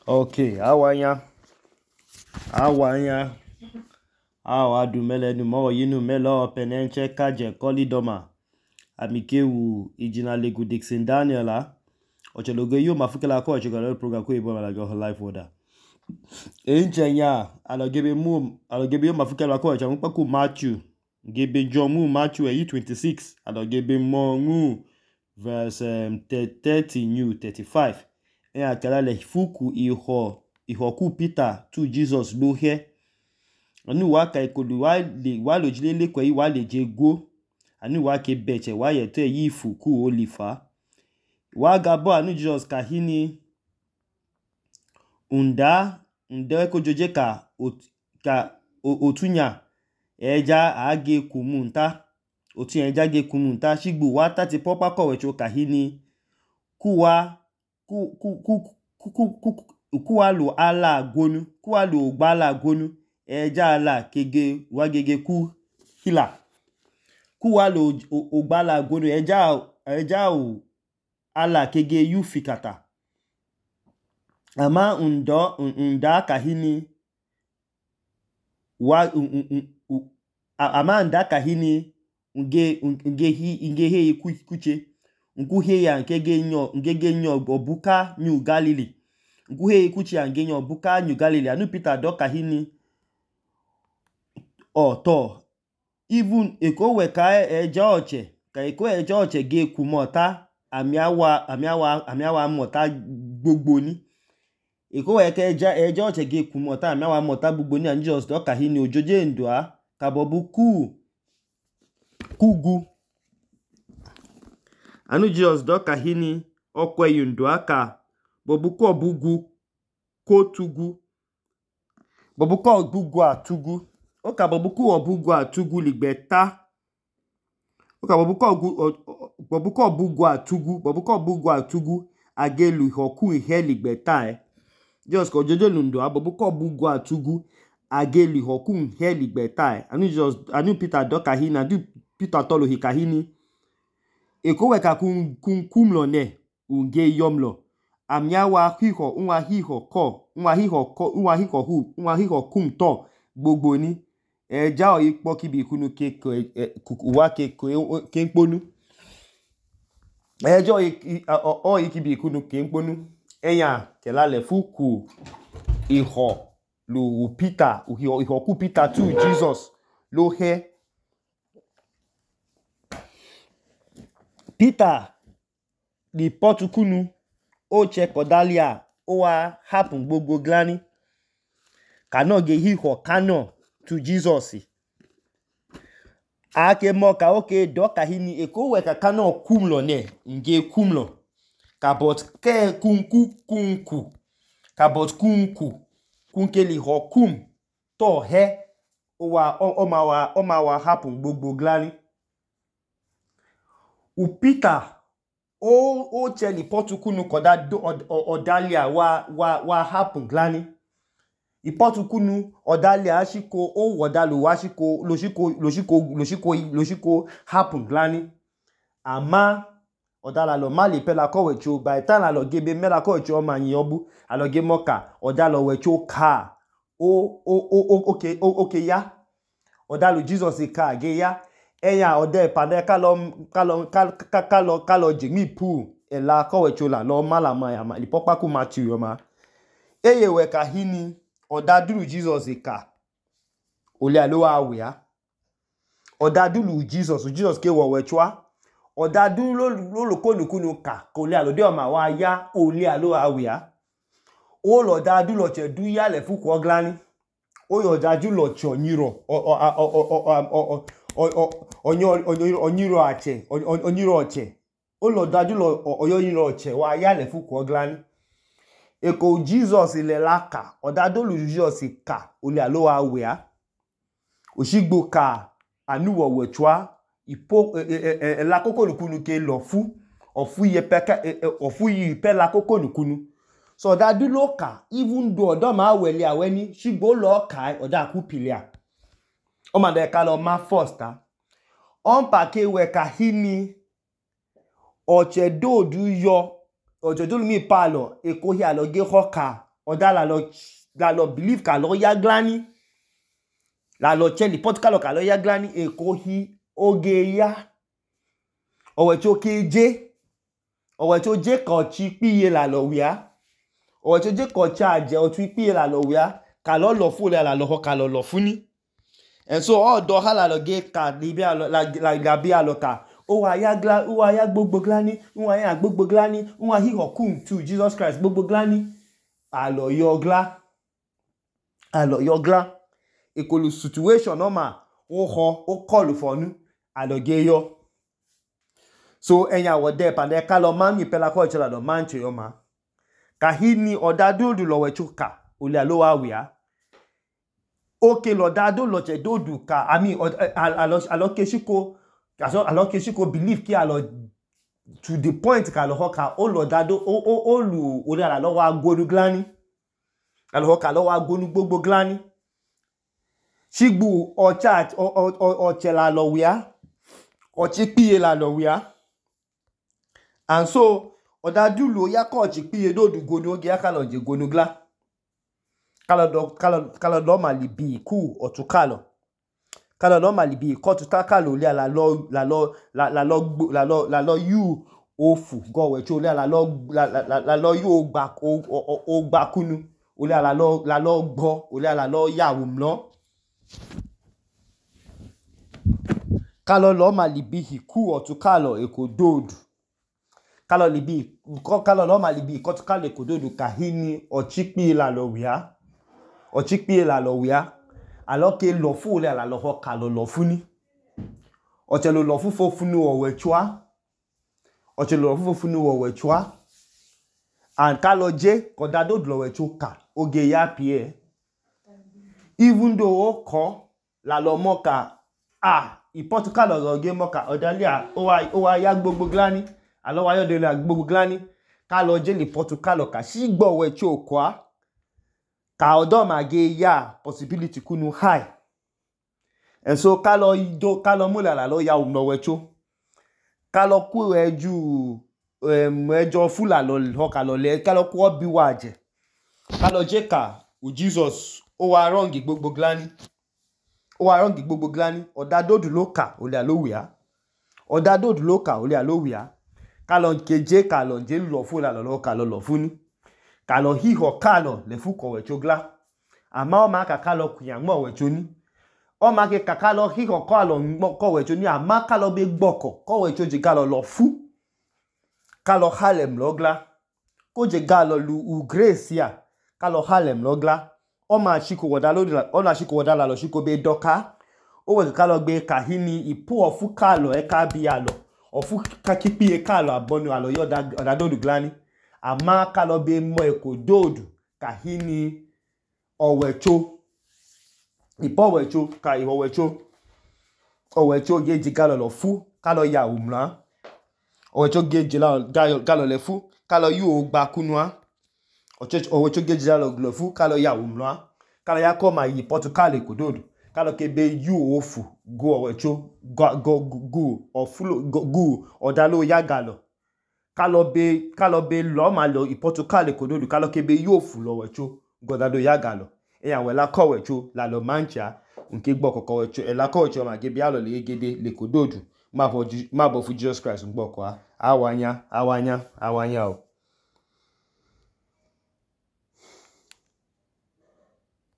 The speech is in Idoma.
Okay, awanya. Awa du mele nu mo yinu mele penenche kaje kolidoma. Amikewu ijina legu Dixon Daniela. Ochelogo yo mafukela ko chegalo program ko ibo la go life order. Enchenya alogebe yo mafukela ko chamu paku Matthew. Gebe John Matthew 26 alogebe mo verse 30 new 35. Akala le fuku ihoku Peter to Jesus lo he anu wa ka ikodu wa lo jilele ko yi wa le je go anu wa ke beche wa ye to yi fuku olifa wa gabo anu Jesus ka hini unda ko joje ka otunya eja age kumunta otu eja ge kumunta shigbu wa tati popa ko wecho ka hini kuwa lu ala gonu kuwa lu gbala gonu eja ala kege wa gege ku hila kuwa lu ogbala gonu eja o ala kege yu fikata ama unda kahini wa ama unda kahini nge he kuche nkuhe ya ngege nyo obuka New Galilee nkuhe kuchi ange nyo obuka New Galilee anu Peter doka hini to even eko we ka eja oche ge kumota amiawa mota gbogbo ni eko we ka eja oche ge kumota amiawa mota gbogbo ni anu just doka hini ojoje ndua ka bobu kugu anu Jesus doka hini okwe yundu aka bobuko bugu kotugu bobuko bugu atugu oka bobuko atugu ligbeta oka bobuko bugu atugu agelu hoku ihe ligbeta Jesus ko jojo lundu bobuko bugu atugu agelu hoku ihe ligbeta anu Peter doka hini adu Peter tolo hikahini eko weka kumlo ne unge yomlo amiawa hiho kumto gbogbo ni eja o ipo kibi kunu wa ke nkponu eja o ikibi kunu ke nkponu enya kelale fuku iho lu Peter iho ku Peter to Jesus lo he Peter di potukunu o che kodalia o wa happen gbogbo glani kano ge hiho kano to Jesus ake mo ka oke doka hini eko we ka kano kumlo ne nge kumlo kabot ke kunku kabot kunkeli ho kum to he o ma wa happen gbogbo glani u Peter o cheli potukunu koda odalia wa happen glani ipotukunu odalia ashiko o wodalu washiko loshiko happen glani ama odala lo mali pela ko wecho by time la lo gebe mela ko wecho ma yin obu aloge moka odalo wecho ka okay ya odalu Jesus ka ge ya eya ode pade kalo jimi pu ela ko wecho la lo mala ma lipopa ku Matthew yo ma eye we ka hini odadulu Jesus ka ole alo awia odadulu Jesus ke wo wechwa odadulu lo konukunu ka ole alo de o ma wa ya ole alo awia o lo dadulu che du ya le fuku oglani o yo dadulu che onyiro onyiro oche o lo dadulu oyonyiro oche wa ya le fuku oglani eko Jesus ile laka odadolu Jesus ka ole alo awea oshigbo ka anu wo wechwa ipo la koko nukunu ke lofu ofu yi pe la koko nukunu so odadulu ka even though odo ma wele aweni shigbo lo ka oda ku pilia o ma de ka lo ma first on pa ke we ka hini oche do du yo ojojo mi palo eko hi aloge hoka oda lalo believe kalo ya glani lalo cheli Portugal kalo ya glani ekohi oge ya owecho keje owecho je kochi piye lalo wia owecho je kochi aje otu piye lalo wia kalo lofu le lalo ho kalo lofuni and so odo ha lalo ge ka libi la gabi alo ka owa ya gbogbo glani owa ya gbogbo glani owa hi hokum to Jesus Christ gbogbo glani alo yo gla ekolu situation normal o call fonu alo ge yo so enya wode pande kalo mami pela ko chola do manche yo ma kahini odadudu lo wechuka ole alo wa wia oke lo dado lo che dodu ka alo keshiko believe ki alo to the point ka lo hoka o lo dado o lu ori alo wa gonu glani alo hoka lo wa gonu gbogbo glani shigbu ochela lo wia ochi piye la lo wia and so odadu lo ya ko ochi piye dodu gonu oge ya kalo je gonu gla kalo do malibi ku otukalo kalo do malibi ko tutakalo le la yu ofu go wecho le la yu ogba kunu ole la lo gbo ole la lo yawu mlo kalo lo malibi hiku otukalo ekododu kalo lo malibi ko tukalo ekododu kahini ochipi la lo wia alo ke lo fu ole la lo ho kalo lo funi ochelo lo fu funu owechua and kalo je kodado lo wechuka oge ya pie even though oko la lo moka i Portugal lo ge moka odalia owa ya gbogbo glani alo wa yo de la gbogbo glani kalo je li Portugal ka shigbo wecho kwa ka odo ma ge ya possibility kunu high and so kalo mula la lo ya umno wecho kalo ku eju ejo fula lo ho kalo le kalo ku obi waje kalo je ka u Jesus o wa wrong gbogbo glani odadodu lo ka ole alo wia kalo keje kalo je lo fu la lo kalo lo funi kalo hiho kalo le fu ko wecho gla ama o ma ka kalo kuyan mo wecho ni o ma ke ka kalo hiho kalo ko wecho ni ama kalo be gboko ko wecho je kalo lo fu kalo halem lo gla ko je kalo lu grace ya kalo halem lo gla o ma shiko woda la lo shiko be doka o we kalo gbe kahini ipu ofu kalo e ka bi alo ofu kakipi e kalo abonu alo yo odadodu glani ama kalo be mo ekododu kahini owecho ipo wecho ka owecho geji kalo lo fu kalo ya umla owecho geji kalo le fu kalo yu ogba kunua owecho geji lo fu kalo ya umla kalo ya ko ma yi Portugal ekododu kalo kebe yu ofu go owecho go ofulo go odalo ya galo kalo be lo ma lo i Portugal ekododu kalo kebe yu ofu lo wecho godado ya galo eya we la ko wecho la lo mancha nke gbo koko wecho e la ko wecho ma ge bi alo le gede le kododu ma bo fu Jesus Christ ngbo ko awanya o